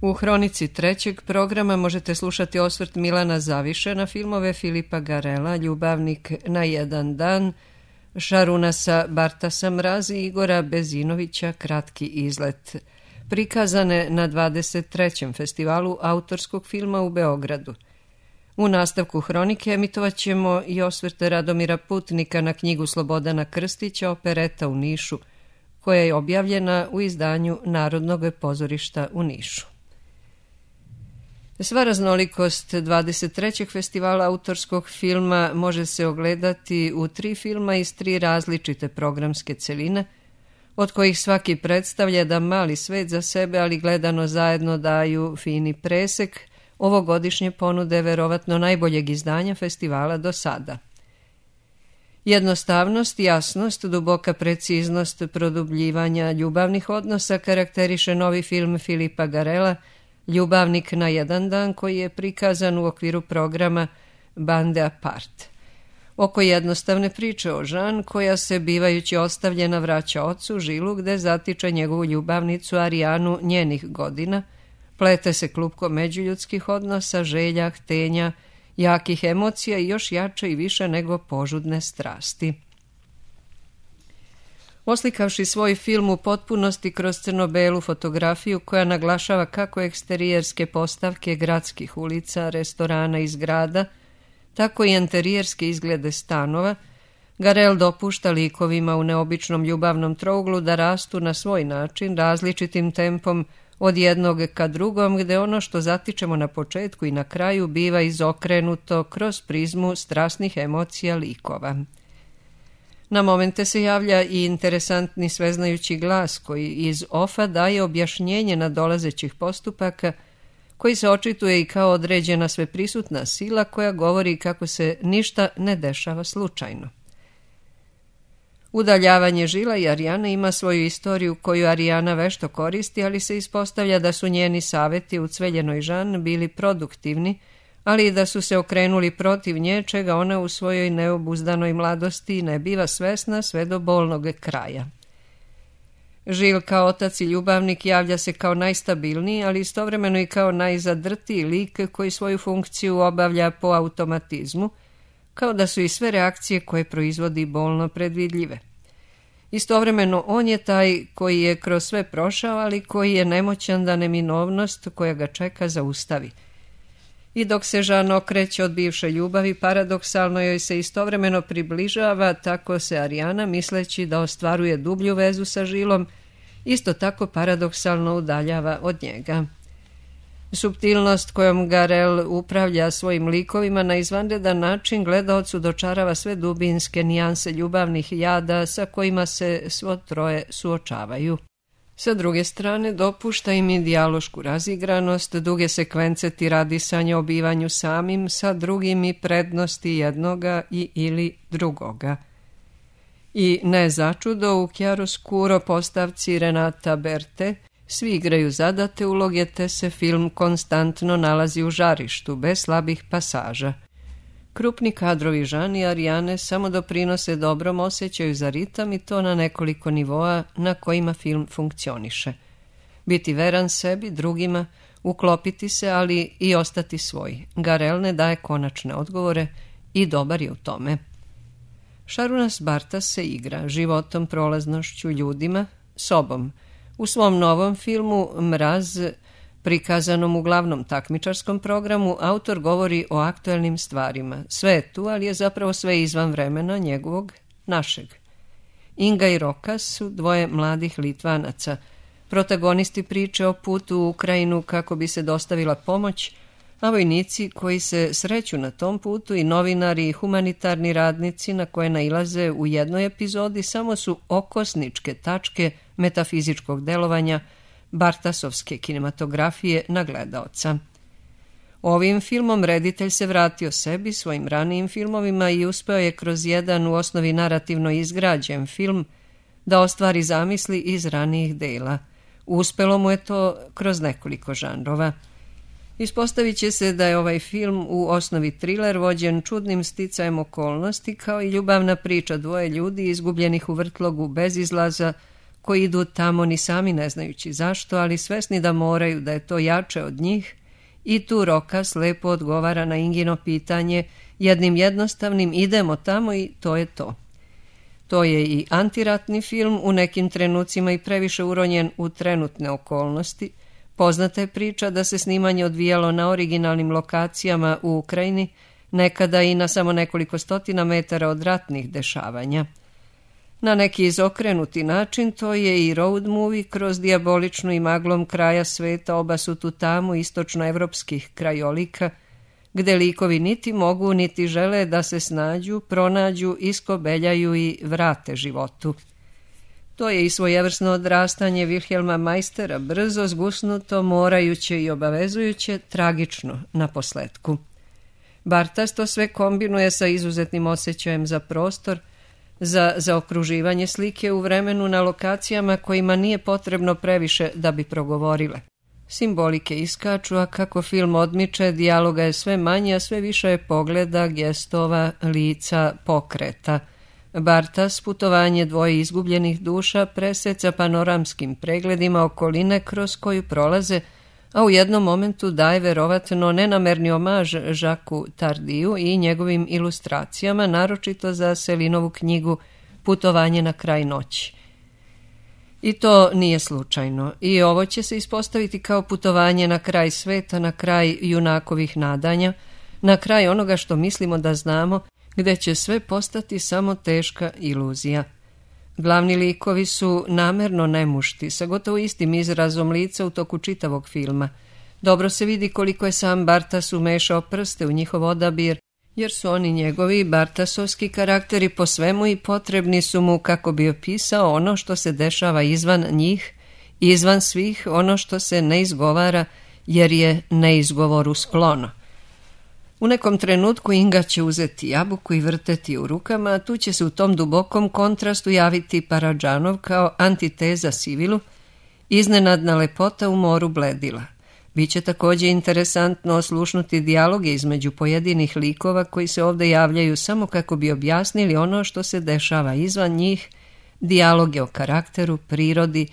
U hronici trećeg programa možete slušati osvrt Milana Zaviše na filmove Filipa Garela, Ljubavnik na jedan dan, Šarunasa Bartasa Mraz i Igora Bezinovića Kratki izlet, prikazane na 23. festivalu autorskog filma u Beogradu. U nastavku hronike emitovat ćemo i osvrt Radomira Putnika na knjigu Slobodana Krstića Opereta u Nišu, koja je objavljena u izdanju Narodnog pozorišta u Nišu. Sva raznolikost 23. festivala autorskog filma može se ogledati u 3 filma iz 3 različite programske celine, od kojih svaki predstavlja da mali svet za sebe, ali gledano zajedno daju fini presek ovogodišnje ponude verovatno najboljeg izdanja festivala do sada. Jednostavnost, jasnost, duboka preciznost produbljivanja ljubavnih odnosa karakteriše novi film Filipa Garela Ljubavnik na jedan dan, koji je prikazan u okviru programa Bande Apart. Oko jednostavne priče o Žan, koja se bivajući ostavljena vraća ocu Žilu, gde zatiče njegovu ljubavnicu Arijanu njenih godina, plete se klupko međuljudskih odnosa, želja, htenja, jakih emocija i još jače i više nego požudne strasti. Oslikavši svoj film u potpunosti kroz crno-belu fotografiju koja naglašava kako eksterijerske postavke gradskih ulica, restorana i zgrada, tako i interijerske izglede stanova, Garel dopušta likovima u neobičnom ljubavnom trouglu da rastu na svoj način, različitim tempom od jednog ka drugom, gde ono što zatičemo na početku i na kraju biva izokrenuto kroz prizmu strasnih emocija likova. Na momente se javlja i interesantni sveznajući glas koji iz ofa daje objašnjenje nadolazećih postupaka, koji se očituje i kao određena sveprisutna sila koja govori kako se ništa ne dešava slučajno. Udaljavanje Žila i Arijane ima svoju istoriju koju Arijana vešto koristi, ali se ispostavlja da su njeni saveti u Cveljenoj Žan bili produktivni, ali i da su se okrenuli protiv nje, čega ona u svojoj neobuzdanoj mladosti ne biva svesna sve do bolnog kraja. Žil kao otac i ljubavnik javlja se kao najstabilniji, ali istovremeno i kao najzadrtiji lik koji svoju funkciju obavlja po automatizmu, kao da su i sve reakcije koje proizvodi bolno predvidljive. Istovremeno on je taj koji je kroz sve prošao, ali koji je nemoćan da neminovnost koja ga čeka zaustavi. I dok se Žan okreće od bivše ljubavi, paradoksalno joj se istovremeno približava, tako se Arijana, misleći da ostvaruje dublju vezu sa Žilom, isto tako paradoksalno udaljava od njega. Suptilnost kojom Garel upravlja svojim likovima na izvanredan način gledaocu dočarava sve dubinske nijanse ljubavnih jada sa kojima se svo troje suočavaju. Sa druge strane, dopušta im i dijalošku razigranost, duge sekvence tiradisanja o bivanju samim sa drugim i prednosti jednoga i ili drugoga. I ne začudo u chiaroscuro postavci Renata Berte svi igraju zadate uloge, te se film konstantno nalazi u žarištu, bez slabih pasaža. Krupni kadrovi Žan i Arijane samo doprinose dobrom osjećaju za ritam i to na nekoliko nivoa na kojima film funkcioniše. Biti veran sebi, drugima, uklopiti se, ali i ostati svoj. Garel ne daje konačne odgovore i dobar je u tome. Šarunas Bartas se igra životom, prolaznošću, ljudima, sobom. U svom novom filmu Mraz, prikazanom u glavnom takmičarskom programu, autor govori o aktuelnim stvarima. Sve je tu, ali je zapravo sve izvan vremena njegovog, našeg. Inga i Rokas su dvoje mladih Litvanaca, protagonisti priče o putu u Ukrajinu kako bi se dostavila pomoć, a vojnici koji se sreću na tom putu i novinari i humanitarni radnici na koje nailaze u jednoj epizodi samo su okosničke tačke metafizičkog delovanja Bartasovske kinematografije na gledaoca. Ovim filmom reditelj se vratio sebi, svojim ranijim filmovima i uspeo je kroz jedan u osnovi narativno izgrađen film da ostvari zamisli iz ranijih dela. Uspelo mu je to kroz nekoliko žanrova. Ispostavit će se da je ovaj film u osnovi triler vođen čudnim sticajem okolnosti kao i ljubavna priča dvoje ljudi izgubljenih u vrtlogu bez izlaza koji idu tamo ni sami ne znajući zašto, ali svesni da moraju, da je to jače od njih, i tu Rokas lepo odgovara na Ingino pitanje jednim jednostavnim idemo tamo i to je to. To je i antiratni film, u nekim trenucima i previše uronjen u trenutne okolnosti. Poznata je priča da se snimanje odvijalo na originalnim lokacijama u Ukrajini, nekada i na samo nekoliko stotina metara od ratnih dešavanja. Na neki izokrenuti način to je i road movie kroz dijaboličnu i maglom kraja sveta obasutu tamu istočnoevropskih krajolika, gde likovi niti mogu niti žele da se snađu, pronađu, iskobeljaju i vrate životu. To je i svojevrsno odrastanje Wilhelma Meistera, brzo, zgusnuto, morajuće i obavezujuće, tragično na posletku. Bartas to sve kombinuje sa izuzetnim osjećajem za prostor, za zaokruživanje slike u vremenu na lokacijama kojima nije potrebno previše da bi progovorile. Simbolike iskaču, a kako film odmiče, dijaloga je sve manje, a sve više je pogleda, gestova, lica, pokreta. Bartas putovanje dvoje izgubljenih duša preseca panoramskim pregledima okoline kroz koju prolaze, a u jednom momentu daje verovatno nenamerni omaž Žaku Tardiju i njegovim ilustracijama, naročito za Selinovu knjigu Putovanje na kraj noći. I to nije slučajno. I ovo će se ispostaviti kao putovanje na kraj sveta, na kraj junakovih nadanja, na kraj onoga što mislimo da znamo, gde će sve postati samo teška iluzija. Glavni likovi su namerno nemušti, sa gotovo istim izrazom lica u toku čitavog filma. Dobro se vidi koliko je sam Bartas umešao prste u njihov odabir, jer su oni njegovi bartasovski karakteri po svemu i potrebni su mu kako bi opisao ono što se dešava izvan njih, izvan svih, ono što se ne izgovara jer je neizgovoru sklono. U nekom trenutku Inga će uzeti jabuku i vrteti u rukama, a tu će se u tom dubokom kontrastu javiti Paradžanov kao antiteza Sivilu, iznenadna lepota u moru bledila. Biće također interesantno oslušnuti dijaloge između pojedinih likova koji se ovdje javljaju samo kako bi objasnili ono što se dešava izvan njih, dijaloge o karakteru, prirodi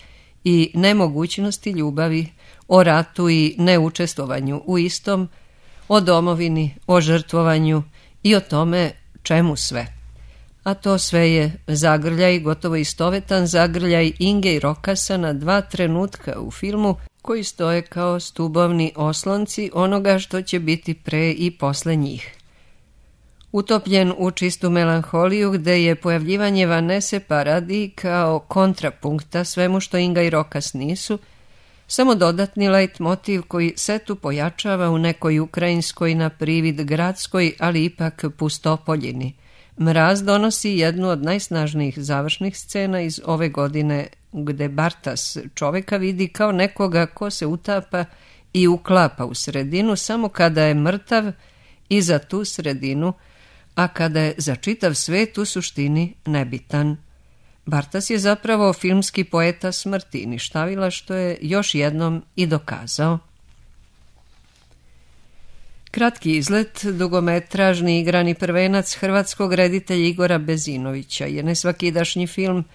i nemogućnosti ljubavi, o ratu i neučestvovanju u istom, o domovini, o žrtvovanju i o tome čemu sve. A to sve je zagrljaj, gotovo istovetan zagrljaj Inge i Rokasa na dva trenutka u filmu koji stoje kao stubovni oslonci onoga što će biti pre i posle njih. Utopljen u čistu melanholiju gde je pojavljivanje Vanese Paradis kao kontrapunkta svemu što Inga i Rokas nisu, samo dodatni leitmotiv koji setu pojačava u nekoj ukrajinskoj na privid gradskoj, ali ipak pustopoljini. Mraz donosi jednu od najsnažnijih završnih scena iz ove godine, gde Bartas čoveka vidi kao nekoga ko se utapa i uklapa u sredinu samo kada je mrtav i za tu sredinu, a kada je za čitav svet u suštini nebitan. Bartas je zapravo filmski poeta smrti, ništavila, što je još jednom i dokazao. Kratki izlet, dugometražni igrani prvenac hrvatskog reditelja Igora Bezinovića je nesvakidašnji film,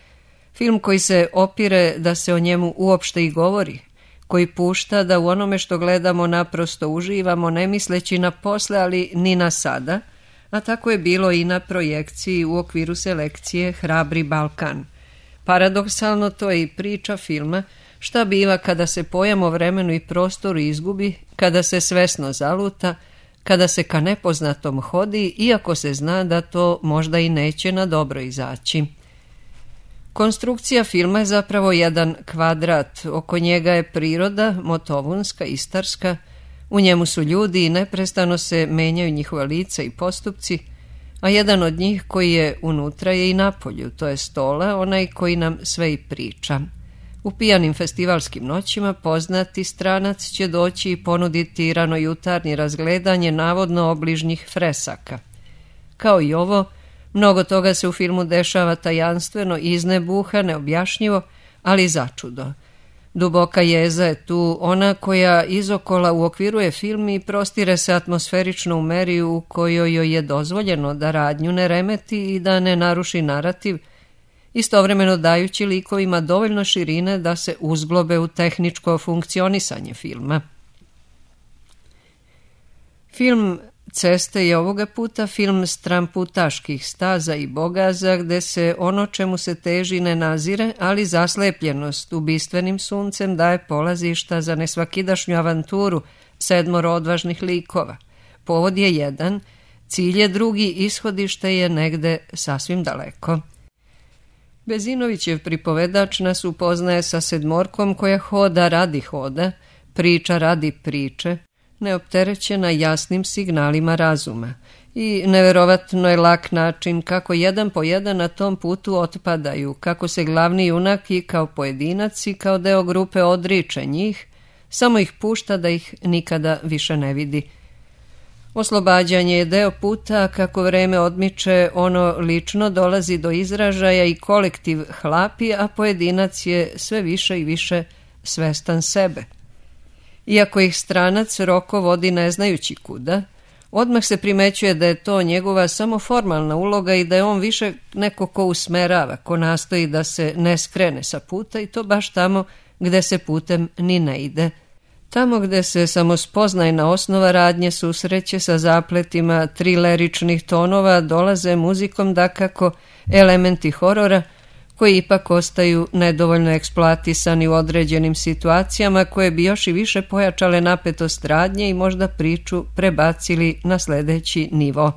film koji se opire da se o njemu uopšte i govori, koji pušta da u onome što gledamo naprosto uživamo, ne misleći na posle, ali ni na sada, a tako je bilo i na projekciji u okviru selekcije Hrabri Balkan. Paradoksalno to je i priča filma, šta biva kada se pojam o vremenu i prostoru izgubi, kada se svesno zaluta, kada se ka nepoznatom hodi, iako se zna da to možda i neće na dobro izaći. Konstrukcija filma je zapravo jedan kvadrat, oko njega je priroda, motovunska, istarska, u njemu su ljudi i neprestano se menjaju njihova lica i postupci, a jedan od njih koji je unutra je i napolju, to je Stola, onaj koji nam sve i priča. U pijanim festivalskim noćima poznati stranac će doći i ponuditi ranojutarnje razgledanje navodno obližnjih fresaka. Kao i ovo, mnogo toga se u filmu dešava tajanstveno, iznebuha, neobjašnjivo, ali začudo. Duboka jeza je tu, ona koja izokola uokviruje film i prostire se atmosferično u meri u kojoj joj je dozvoljeno da radnju ne remeti i da ne naruši narativ, istovremeno dajući likovima dovoljno širine da se uzglobe u tehničko funkcionisanje filma. Film Ceste je ovoga puta film stramputaških staza i bogaza gde se ono čemu se teži ne nazire, ali zaslepljenost ubistvenim suncem daje polazišta za nesvakidašnju avanturu 7 odvažnih likova. Povod je jedan, cilj je drugi, ishodište je negde sasvim daleko. Bezinovićev pripovedač nas upoznaje sa 7 koja hoda radi hoda, priča radi priče, neopterećena jasnim signalima razuma. I neverovatno je lak način kako jedan po jedan na tom putu otpadaju, kako se glavni junak i kao pojedinac i kao deo grupe odriče njih, samo ih pušta da ih nikada više ne vidi. Oslobađanje je deo puta, kako vreme odmiče, ono lično dolazi do izražaja i kolektiv hlapi, a pojedinac je sve više i više svestan sebe. Iako ih stranac Roko vodi ne znajući kuda, odmah se primećuje da je to njegova samo formalna uloga i da je on više neko ko usmerava, ko nastoji da se ne skrene sa puta i to baš tamo gde se putem ni ne ide. Tamo gde se samospoznajna osnova radnje susreće sa zapletima trileričnih tonova, dolaze muzikom dakako elementi horora koji ipak ostaju nedovoljno eksploatisani u određenim situacijama koje bi još i više pojačale napetost radnje i možda priču prebacili na sledeći nivo.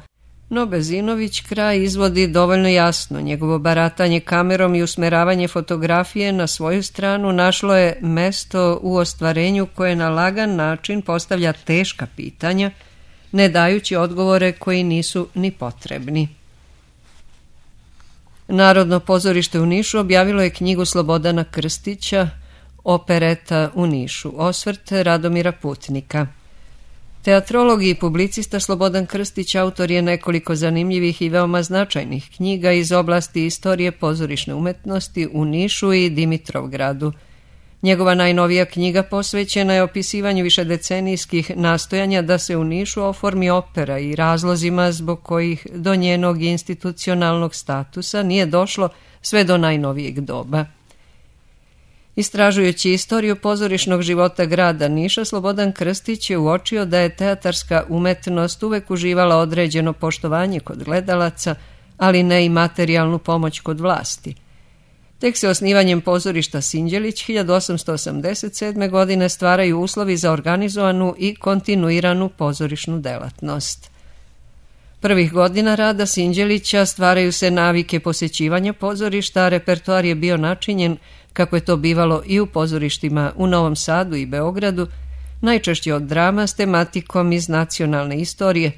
No Bezinović kraj izvodi dovoljno jasno. Njegovo baratanje kamerom i usmeravanje fotografije na svoju stranu našlo je mesto u ostvarenju koje na lagan način postavlja teška pitanja, ne dajući odgovore koji nisu ni potrebni. Narodno pozorište u Nišu objavilo je knjigu Slobodana Krstića Opereta u Nišu, osvrt Radomira Putnika. Teatrolog i publicista Slobodan Krstić autor je nekoliko zanimljivih i veoma značajnih knjiga iz oblasti istorije pozorišne umetnosti u Nišu i Dimitrovgradu. Njegova najnovija knjiga posvećena je opisivanju višedecenijskih nastojanja da se u Nišu oformi opera i razlozima zbog kojih do njenog institucionalnog statusa nije došlo sve do najnovijeg doba. Istražujući istoriju pozorišnog života grada Niša, Slobodan Krstić je uočio da je teatarska umetnost uvek uživala određeno poštovanje kod gledalaca, ali ne i materijalnu pomoć kod vlasti. Tek se osnivanjem pozorišta Sinđelić 1887. godine stvaraju uslovi za organizovanu i kontinuiranu pozorišnu delatnost. Prvih godina rada Sinđelića stvaraju se navike posećivanja pozorišta, a repertoar je bio načinjen, kako je to bivalo i u pozorištima u Novom Sadu i Beogradu, najčešće od drama s tematikom iz nacionalne istorije,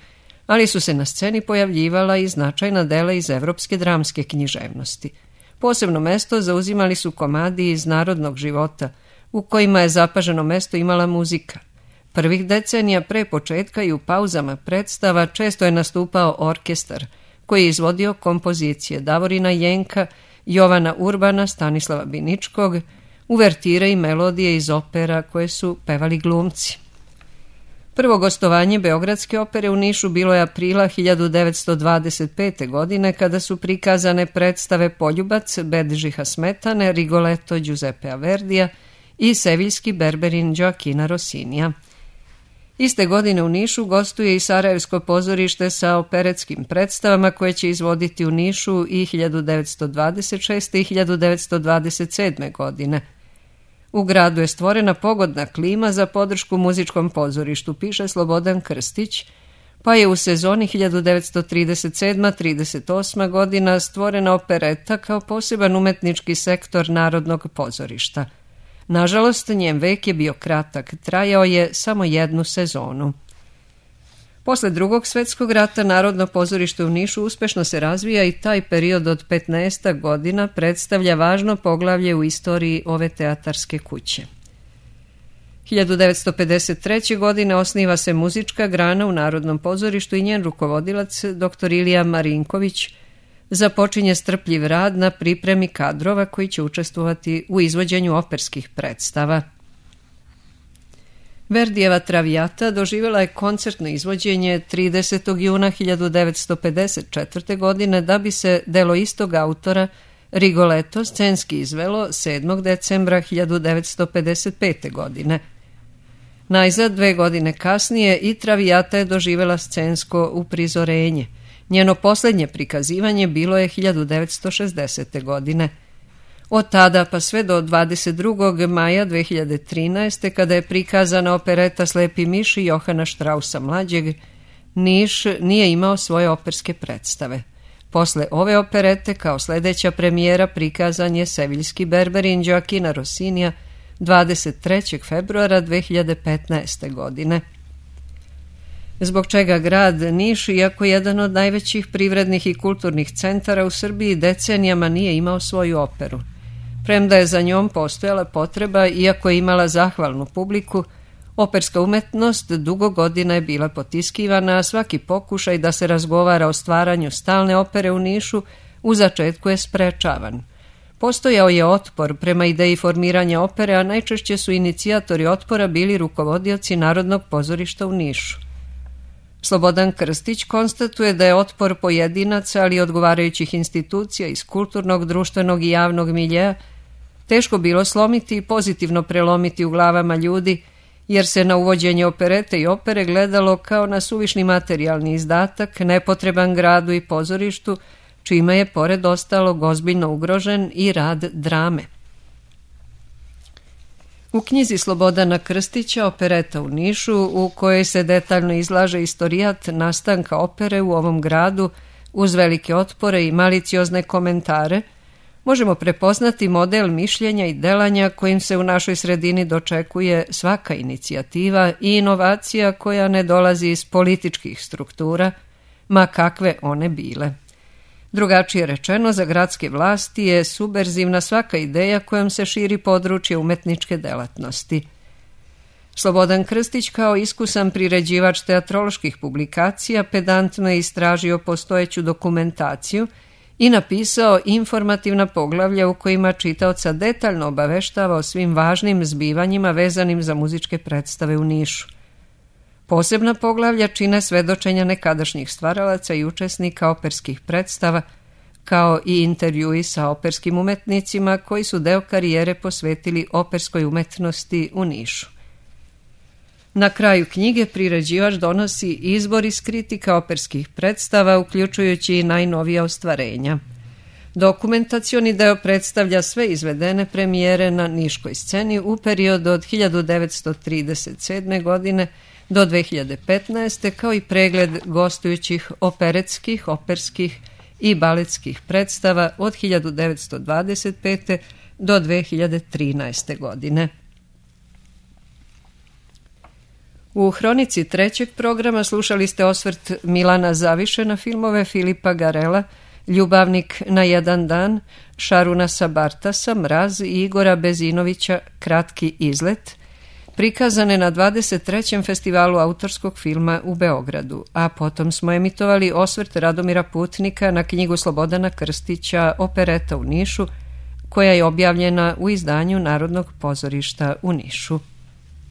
ali su se na sceni pojavljivala i značajna dela iz evropske dramske književnosti. Posebno mesto zauzimali su komadi iz narodnog života, u kojima je zapaženo mesto imala muzika. Prvih decenija pre početka i u pauzama predstava često je nastupao orkestar, koji je izvodio kompozicije Davorina Jenka, Jovana Urbana, Stanislava Biničkog, uvertire i melodije iz opera koje su pevali glumci. Prvo gostovanje Beogradske opere u Nišu bilo je aprila 1925. godine kada su prikazane predstave Poljubac Bedžiha Smetane, Rigoletto Giuseppea Verdija i Seviljski Berberin Joakina Rossinija. Iste godine u Nišu gostuje i Sarajevsko pozorište sa operetskim predstavama koje će izvoditi u Nišu i 1926. i 1927. godine. U gradu je stvorena pogodna klima za podršku muzičkom pozorištu, piše Slobodan Krstić, pa je u sezoni 1937-38. godina stvorena opereta kao poseban umetnički sektor Narodnog pozorišta. Nažalost, njen vek je bio kratak, trajao je samo 1 sezonu. Posle Drugog svetskog rata Narodno pozorište u Nišu uspešno se razvija i taj period od 15 godina predstavlja važno poglavlje u istoriji ove teatarske kuće. 1953. godine osniva se muzička grana u Narodnom pozorištu i njen rukovodilac, dr. Ilija Marinković, započinje strpljiv rad na pripremi kadrova koji će učestvovati u izvođenju operskih predstava. Verdijeva Traviata doživjela je koncertno izvođenje 30. juna 1954. godine da bi se delo istog autora Rigoletto scenski izvelo 7. decembra 1955. godine. Najzad 2 godine kasnije i Traviata je doživjela scensko uprizorenje. Njeno posljednje prikazivanje bilo je 1960. godine. Od tada pa sve do 22. maja 2013. kada je prikazana opereta Slepi miš Johana Straussa mlađeg, Niš nije imao svoje operske predstave. Posle ove operete kao sljedeća premijera prikazan je Seviljski Berberin Gioachina Rossinija 23. februara 2015. godine. Zbog čega grad Niš, iako jedan od najvećih privrednih i kulturnih centara u Srbiji, decenijama nije imao svoju operu. Premda je za njom postojala potreba, iako je imala zahvalnu publiku, operska umetnost dugo godina je bila potiskivana, a svaki pokušaj da se razgovara o stvaranju stalne opere u Nišu u začetku je sprečavan. Postojao je otpor prema ideji formiranja opere, a najčešće su inicijatori otpora bili rukovodioci Narodnog pozorišta u Nišu. Slobodan Krstić konstatuje da je otpor pojedinaca, ali i odgovarajućih institucija iz kulturnog, društvenog i javnog miljeja teško bilo slomiti i pozitivno prelomiti u glavama ljudi, jer se na uvođenje operete i opere gledalo kao na suvišni materijalni izdatak, nepotreban gradu i pozorištu, čime je pored ostalog ozbiljno ugrožen i rad drame. U knjizi Slobodana Krstića Opereta u Nišu, u kojoj se detaljno izlaže istorijat nastanka opere u ovom gradu uz velike otpore i maliciozne komentare, možemo prepoznati model mišljenja i delanja kojim se u našoj sredini dočekuje svaka inicijativa i inovacija koja ne dolazi iz političkih struktura, ma kakve one bile. Drugačije rečeno, za gradske vlasti je subverzivna svaka ideja kojom se širi područje umetničke delatnosti. Slobodan Krstić kao iskusan priređivač teatroloških publikacija pedantno je istražio postojeću dokumentaciju i napisao informativna poglavlja u kojima čitaoca detaljno obaveštava o svim važnim zbivanjima vezanim za muzičke predstave u Nišu. Posebna poglavlja čine svedočenja nekadašnjih stvaralaca i učesnika operskih predstava, kao i intervjui sa operskim umetnicima koji su deo karijere posvetili operskoj umetnosti u Nišu. Na kraju knjige priređivač donosi izbor iz kritika operskih predstava, uključujući i najnovija ostvarenja. Dokumentacioni deo predstavlja sve izvedene premijere na niškoj sceni u periodu od 1937. godine do 2015. kao i pregled gostujućih operetskih, operskih i baletskih predstava od 1925. do 2013. godine. U hronici trećeg programa slušali ste osvrt Milana Zaviše na filmove Filipa Garela, Ljubavnik na jedan dan, Šaruna Sabartasa, Mraz i Igora Bezinovića, Kratki izlet, prikazane na 23. festivalu autorskog filma u Beogradu, a potom smo emitovali osvrt Radomira Putnika na knjigu Slobodana Krstića Opereta u Nišu, koja je objavljena u izdanju Narodnog pozorišta u Nišu.